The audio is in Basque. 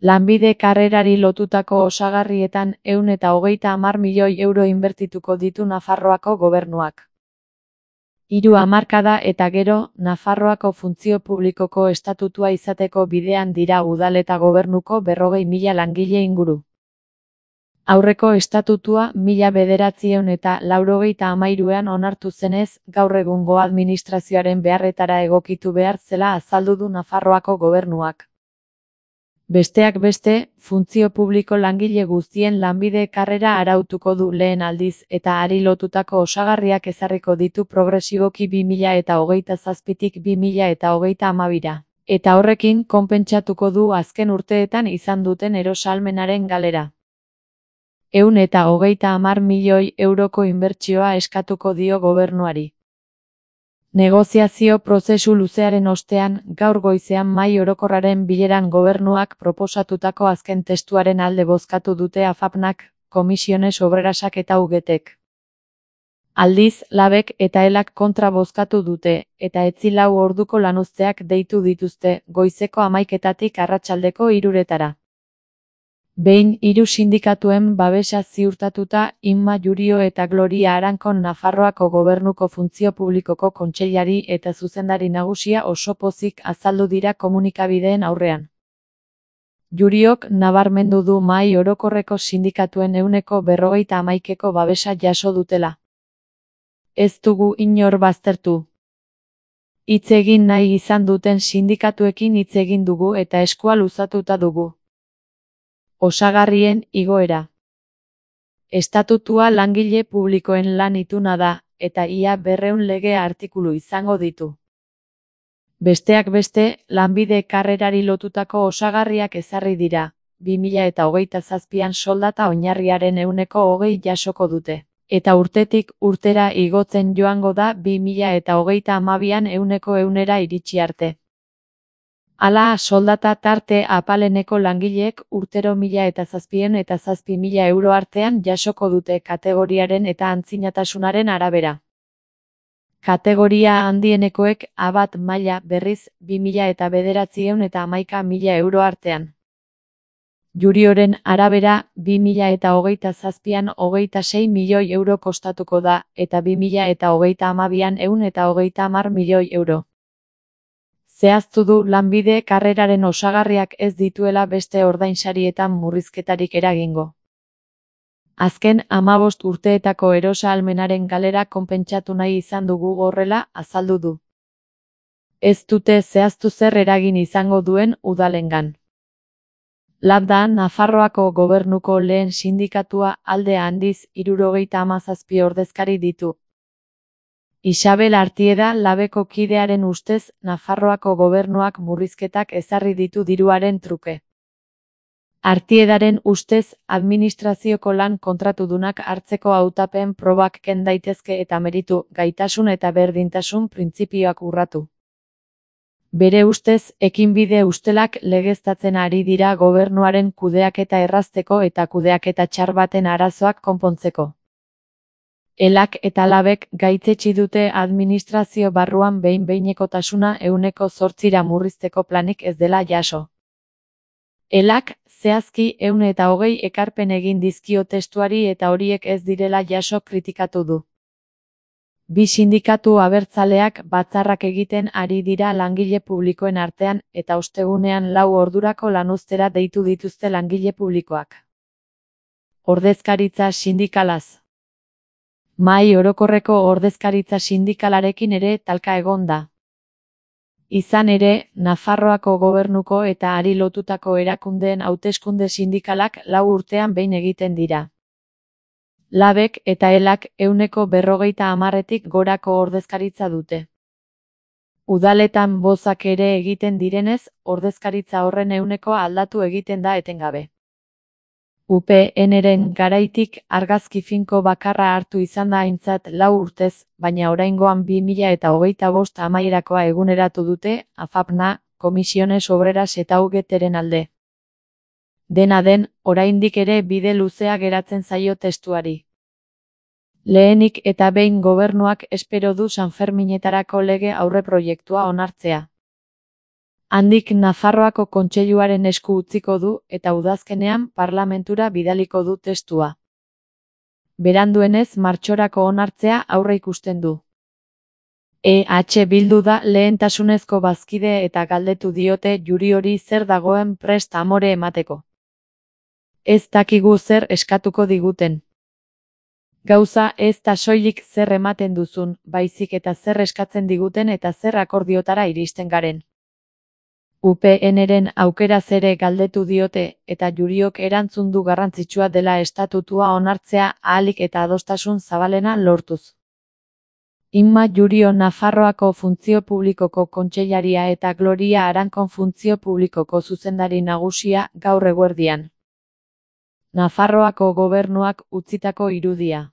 Lanbide karrerari lotutako osagarrietan 130 milioi euro inbertituko ditu Nafarroako gobernuak. 3 hamarkada eta gero, Nafarroako funtzio publikoko estatutua izateko bidean dira udal eta gobernuko 40.000 langile inguru. Aurreko estatutua 1993an onartu zenez, gaur egungo administrazioaren beharretara egokitu behar zela azaldu du Nafarroako gobernuak. Besteak beste, funtzio publiko langile guztien lanbide karrera arautuko du lehen aldiz eta hari lotutako osagarriak ezarriko ditu progresiboki 2027tik 2032ra. Eta horrekin konpentsatuko du azken urteetan izan duten erosahalmenaren galera. 130 milioi euroko inbertsioa eskatuko dio gobernuari. Negoziazio prozesu luzearen ostean, gaur goizean Mahai Orokorraren bileran gobernuak proposatutako azken testuaren alde bozkatu dute AFAPnak, Comisiones Obrerasak eta UGTek. Aldiz, Labek eta Elak kontra bozkatu dute, eta 4 orduko lanuzteak deitu dituzte, goizeko 11etatik arratsaldeko 3etara. Behin 3 sindikatuen babesa ziurtatuta, Inma Jurio eta Gloria Arankon Nafarroako gobernuko funtzio publikoko kontseilari eta zuzendari nagusia oso pozik azaldu dira komunikabideen aurrean. Juriok nabarmendu du Mahai Orokorreko sindikatuen 51%ko babesa jaso dutela. Ez dugu inor baztertu. Hitz egin nahi izan duten sindikatuekin hitz egin dugu eta eskua luzatuta dugu. Osagarrien igoera. Estatutua langile publikoen lan ituna da, eta ia 200 lege artikulu izango ditu. Besteak beste, lanbide karrerari lotutako osagarriak ezarri dira, 2027an soldata oinarriaren 20% jasoko dute, eta urtetik urtera igotzen joango da 2032an 100%ra iritsi arte. Hala, soldata tarte apaleneko langileek urtero 1.007 eta 7.000 euro artean jasoko dute kategoriaren eta antzinatasunaren arabera. Kategoria handienekoek A1 maila berriz 2.900 eta 11.000 euro artean. Jurioren arabera, 2027an 26 milioi euro kostatuko da, eta 2032an 130 milioi euro. Zehaztu du lanbide karreraren osagarriak ez dituela beste ordainsarietan murrizketarik eragingo. Azken 15 urteetako erosahalmenaren galera konpentsatu nahi izan dugu horrela azaldu du. Ez dute zehaztu zer eragin izango duen udalengan. Lab da Nafarroako gobernuko lehen sindikatua alde handiz 77 ordezkari ditu. Isabel Artieda Labeko kidearen ustez, Nafarroako gobernuak murrizketak ezarri ditu diruaren truke. Artiedaren ustez, administrazioko lan kontratudunak hartzeko hautapen probak ken daitezke eta meritu, gaitasun eta berdintasun printzipioak urratu. Bere ustez, ekinbide ustelak legeztatzen ari dira gobernuaren kudeaketa errazteko eta kudeaketa txar baten arazoak konpontzeko. Elak eta Labek gaitzetsi dute administrazio barruan behin-behinekotasuna 8%ra murrizteko planik ez dela jaso. Elak, zehazki 120 ekarpen egin dizkio testuari eta horiek ez direla jaso kritikatu du. Bi sindikatu abertzaleak batzarrak egiten ari dira langile publikoen artean eta ostegunean 4 ordurako lanuztera deitu dituzte langile publikoak. Ordezkaritza sindikalaz. Mahai Orokorreko ordezkaritza sindikalarekin ere talka egon da. Izan ere, Nafarroako gobernuko eta hari lotutako erakundeen hauteskunde sindikalak 4 urtean behin egiten dira. Labek eta Elak 150tik gorako ordezkaritza dute. Udaletan bozak ere egiten direnez, ordezkaritza horren 100 aldatu egiten da etengabe. UPNren garaitik argazki finko bakarra hartu izan da aintzat 4 urtez, baina oraingoan 2025 amaierakoa eguneratu dute, AFAPna, Comisiones Obreras eta UGTren alde. Dena den, oraindik ere bide luzea geratzen zaio testuari. Lehenik eta behin gobernuak espero du Sanferminetarako lege aurreproiektua onartzea. Handik Nafarroako Kontseiluaren esku utziko du eta udazkenean parlamentura bidaliko du testua. Beranduenez martxorako onartzea aurreikusten du. EH Bildu da lehentasunezko bazkide eta galdetu diote Juriori zer dagoen prest amore emateko. Ez dakigu zer eskatuko diguten. Gauza ez da soilik zer ematen duzun, baizik eta zer eskatzen diguten eta zer akordiotara iristen garen. UPNren aukeraz ere galdetu diote eta Juriok erantzun du garrantzitsua dela estatutua onartzea ahalik eta adostasun zabalena lortuz. Inma Jurio Nafarroako Funtzio Publikoko kontseilaria eta Gloria Arankon Funtzio Publikoko zuzendari nagusia gaur eguerdian. Nafarroako gobernuak utzitako irudia.